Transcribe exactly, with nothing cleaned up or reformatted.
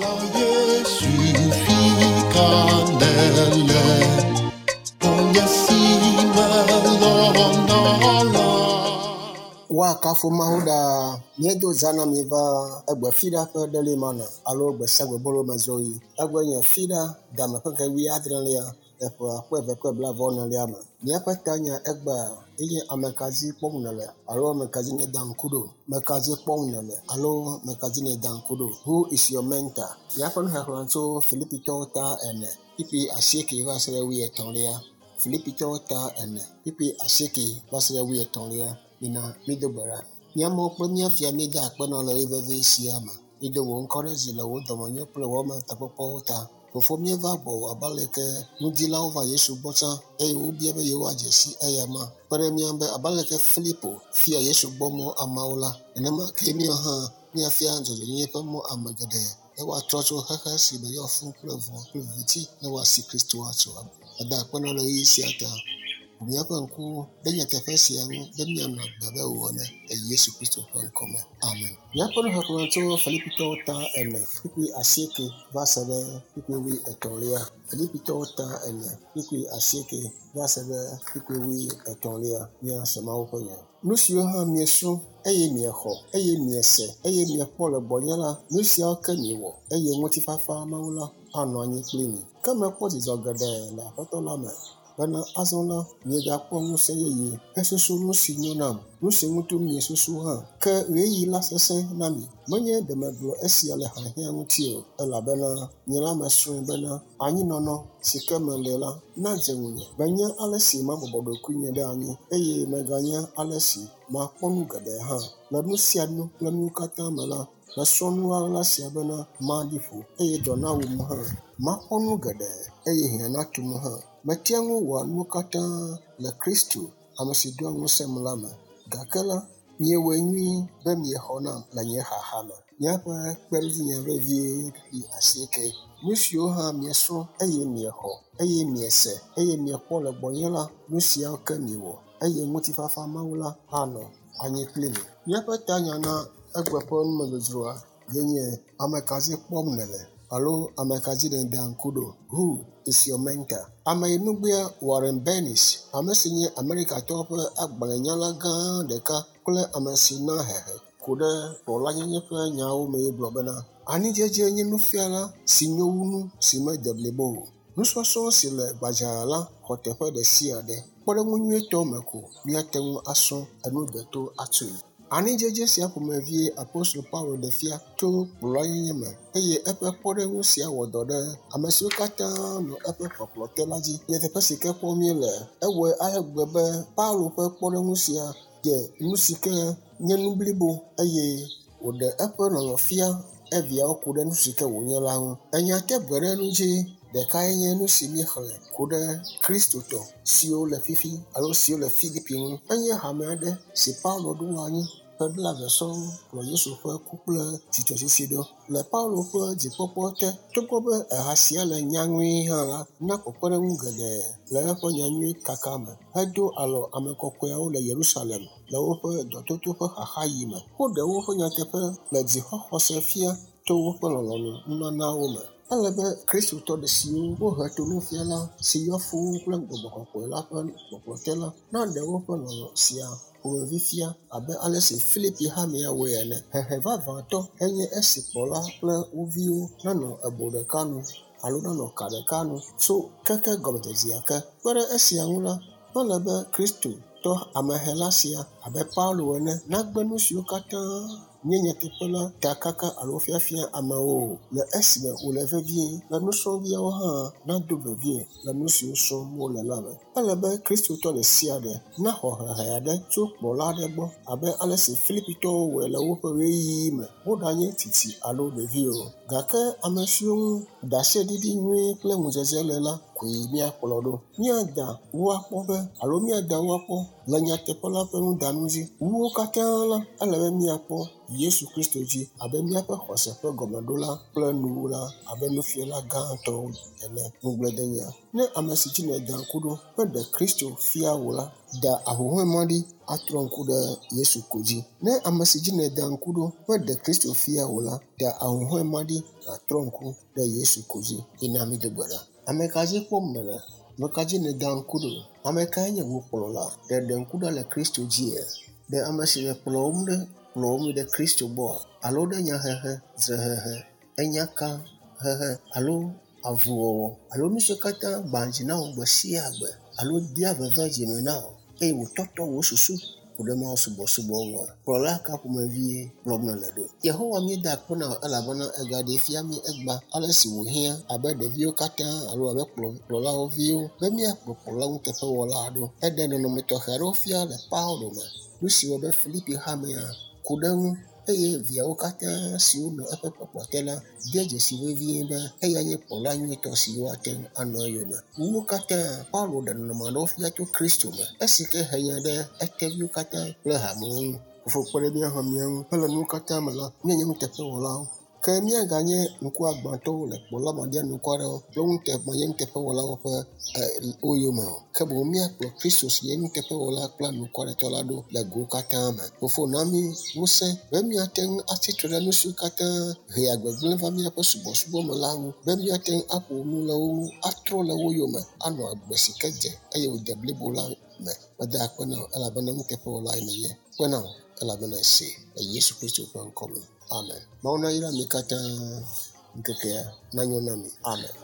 Kplɔla Yesu fi ka nèle? Xɔ̃nye si melɔ̃na la. Woakafu Mawu ɖaa. Míedo zã na mi va egbe fiɖa ƒe ɖeli mana alo gbe sia gbe bolo me zɔɣi. Egbe nye fiɖa game ƒe ŋkeke wuiadrelia le ƒe akpe eve kple blaeve enelia me. Míaƒe tanya egbea enye ame ka dzi kpɔm nèle alo ame ka dzi nèda ŋku ɖo. Ame ka dzi kpɔm nèle alo ame ka dzi nèda ŋku ɖo. Who is your mentor? Míaƒe nuxexlẽ tso Filipitɔwo ta ene kpukpui asieke va se ɖe wuietɔ̃lia. Filipitɔwo ta ene kpukpui asieke va se ɖe wuietɔ̃lia. Mina mído gbe ɖa. Mía Mawu kple mía Fia míeda akpe na wò le ɣeyiɣi vevi sia me. Mído wò ŋkɔ ɖe dzi le wò dɔmenyo kple wò ametakpɔkpɔwo ta. Fofo míeva gbɔwò abe aleke nudilawo va Yesu gbɔ tsã eye wobia be yewoadze si eyama. Kpe ɖe mía ŋu be abe aleke Filipo fia Yesu gbɔ mɔ ameawo la, nenema ke míawo hã míafia dzɔdzɔenyenye ƒe mɔ ame geɖe ne woatrɔ tso xexe si me yɔ fũu kple vɔ̃ kple viviti ne woasi Kristo atso. Eda akpe na wò le ɣeyiɣi sia ta. Ʋu míaƒe ŋkuwo ɖe nyateƒe sia ŋu be míanɔ agbe abe wò ene le Yesu Kristo ƒe ŋkɔme. Amen. Míaƒe nuxexlẽ tso Filipitɔwo ta ene kpukpui asieke va se ɖe kpukpui wuietɔ̃lia. Filipitɔwo ta ene kpukpui asieke va se ɖe kpukpui wuietɔ̃lia. Míase Mawu ƒe nya. Nu siwo hã miesrɔ̃ eye miexɔ eye miese eye miekpɔ le gbɔnye la, nu siawo ke miwɔ eye ŋutifafa Mawu la anɔ anyi kpli mi. Ke mekpɔ dzidzɔ geɖe le Aƒetɔ la me bena azɔ la miegakpɔ ŋusẽ yeye hesusu nu si nyo nam, nu si ŋuti miesusu hã. Ke ɣeyiɣi la sesẽ na mi. Menye ɖe megblɔ esia le hiahiã ŋuti o, elabena nye la mesrɔ̃e bena anyinɔnɔ si ke mele la nadze ŋunye. Menya ale si mabɔbɔ ɖokuinye ɖe anyi eye meganya ale si makpɔ nu geɖe hã. Le nu sia nu kple nuwo katã me la, mesrɔ̃ nu ɣaɣla sia bena maɖi ƒo eye dɔ nawum hã. Makpɔ nu geɖe eye hiã natum hã. Metea ŋu wɔa nuwo katã le Kristo, ame si doa ŋusẽm la me. Gake la, miewɔe nyuie be miexɔ nam le nye xaxa me. Míaƒe kpeɖodzinya vevie kpukpui asieke. Nu siwo hã miesrɔ̃ eye miexɔ eye miese eye miekpɔ le gbɔnye la, nu siawo ke miwɔ eye ŋutifafa Mawu la anɔ anyi kpli mi. Míaƒe tanya na egbe ƒe numedzodzroa ye nye ame ka dzi kpɔm nèle alo ame ka dzi nèda ŋku ɖo. Who is your mentor? Ameyinugbea Warren Bennis, ame si nye Amerikatɔwo ƒe agbalẽnyala gã ɖeka kple ame si na hehe ku ɖe kplɔlanyenye ƒe nyawo mee gblɔ bena anidzedze nye nufiala si nyo wu nu si mede blibo o. Nusɔsrɔ̃ si le gbadzaa la xɔ teƒe ɖe sia ɖe. Kpɔɖeŋu nyuietɔ me ko míate ŋu asrɔ̃ enu deto atsoe. Anidzedze sia ƒomevie Apostolo Paulo ɖe fia to kplɔlanyenye me eye eƒe kpɔɖeŋu sia wɔ dɔ ɖe ame siwo katã nɔ eƒe kpɔkplɔ te la dzi. Nyateƒe si ke kpɔm míele, ewɔe ale gbegbe be Paulo ƒe kpɔɖeŋu sia dze nu si ke nye nu blibo eye wòɖe eƒe lɔlɔ̃ fia eviawo ku ɖe nu si ke wònye la ŋu. Enya te gbe ɖe nu dzi ɖekae nye nu si míexlẽ ku ɖe Kristotɔ siwo le fifi alo siwo le Filipi ŋu. Enye hame aɖe si Paulo ɖo anyi ƒe blaeve sɔŋ kplɔ Yesu ƒe ku kple tsitretsitsi ɖo. Le Paulo ƒe dzikpɔkpɔ te, togbɔ be eha sia le nyaŋui hã la, na kpekpeɖeŋu geɖe le eƒe nyanyui kaka me hedo alɔ ame kɔkɔeawo le Yerusalem le woƒe dɔtoto ƒe xaxaɣi me. Woɖe woƒe nyateƒe le dzixɔxɔse fia to woƒe lɔlɔ̃nu nunanawo me. Ele be Kristotɔ ɖe siwo wohe to nufiala si yɔ fũu kple gbɔgbɔ kɔkɔe la ƒe kpɔkplɔ te la naɖe woƒe lɔlɔ̃ sia ƒomevi fia abe ale si Filipi hamea wɔe ene. Hehe vavãtɔ enye esi kplɔla kple wo viwo nanɔ ebo ɖeka nu alo nanɔ ka ɖeka nu tso keke gɔmedzedzea ke. Kpe ɖe esia ŋu la, mele be Kristotɔ amehela sia abe Paulo ene nagbe nu siwo katã nye nyateƒe la ta kaka alo fiafia amewo o le esime wòle vevie be nusrɔ̃viawo hã nado vevie le nu siwo srɔ̃m wole la me. Ele be Kristotɔ ɖe sia ɖe naxɔ hehe aɖe tso kplɔla aɖe gbɔ abe ale si Filipitɔwo wɔe le woƒe ɣeyiɣi me, woɖanye tsitsi alo ɖevi o. Gake ame siwo ŋu ɖaseɖiɖi nyui kple ŋudzedze le la koe koe míakplɔ ɖo. Míada wo akpɔ be alo míada wo akpɔ le nyateƒe la ƒe nudanu dzi. Wu wo katã la, ele be míakpɔ Yesu Kristo dzi abe míaƒe xɔse ƒe gɔmeɖola kple nuwula abe nufiala gãtɔ ene. Ŋugbledenya. Ne ame si dzi nèda ŋku ɖo meɖe Kristo fia wò la, da ahuhɔ̃e ma ɖi atrɔ ŋku ɖe Yesu ko dzi. Ne ame si dzi nèda ŋku ɖo meɖe Kristo fia wò la, da ahuhɔ̃e ma ɖi nàtrɔ ŋku ɖe Yesu ko dzi. Yina mi do gbe ɖa. Ame ka dzi kpɔm nèle? Ame ka dzi nèda ŋku ɖo? Ame kae nye wò kplɔla? Ɖe ɖe ŋku ɖa le Kristo dzia? Ɖe ame si le kplɔwòm ɖe kplɔwòm yi ɖe Kristo gbɔa? Alo ɖe nyahehe, dzrehehe, enyakahehe alo avuwɔwɔ alo nu siwo katã gbã dzi na wò gbe sia gbe alo dea veve dzime na wò eye wòtɔtɔ wò susu ku ɖe Mawu subɔsubɔ ŋua? Kplɔla ka ƒomevie kplɔm nèle ɖo? Yehowa míeda akpe na wò elabena ègaɖee fia mí egbea ale si wòhiã abe ɖeviwo katã alo abe kplɔ kplɔlawo viwo be míakplɔ kplɔla nuteƒewɔla ɖo. Eɖe nɔnɔme tɔxɛ aɖewo fia le Paulo me. Nu si wɔ be Filipi hamea ku ɖe eŋu eye viawo katã siwo nɔ eƒe kpɔkplɔ te la de dzesi vevie be eya nye kplɔla nyuitɔ si woate ŋu anɔ eyome. Wu wo katã, Paulo ɖe nɔnɔme aɖewo fia tso Kristo me esi ke he nya ɖe eteviwo katã kple hamewo ŋu. Fofo kpe ɖe mía hã mía ŋu be le nuwo katã me la, míanye nuteƒewɔlawo. Ke míaganye ŋkuagbãtɔwo le kplɔla maɖianukwarewo kple nute manyenuteƒewɔlawo ƒe e wo yome o. Ke boŋ míakplɔ Kristo si nye nuteƒewɔla kple anukwaretɔ la ɖo le gowo katã me. Fofo na mí ŋusẽ be míate ŋu atsi tre ɖe nu siwo katã hea gbegblẽ va míaƒe subɔsubɔ me la ŋu be míate ŋu aƒo nu le wo ŋu, atrɔ le wo yome anɔ agbe si ke dze eye wòde blibo la me. Meda akpe na wò elabena nuteƒewɔlae nènye. Kpe na wò elabena èsee le Yesu Kristo ƒe ŋkɔ me. Amen. Mawu nayra mi katã ŋkekea nanyo na mi. Amen.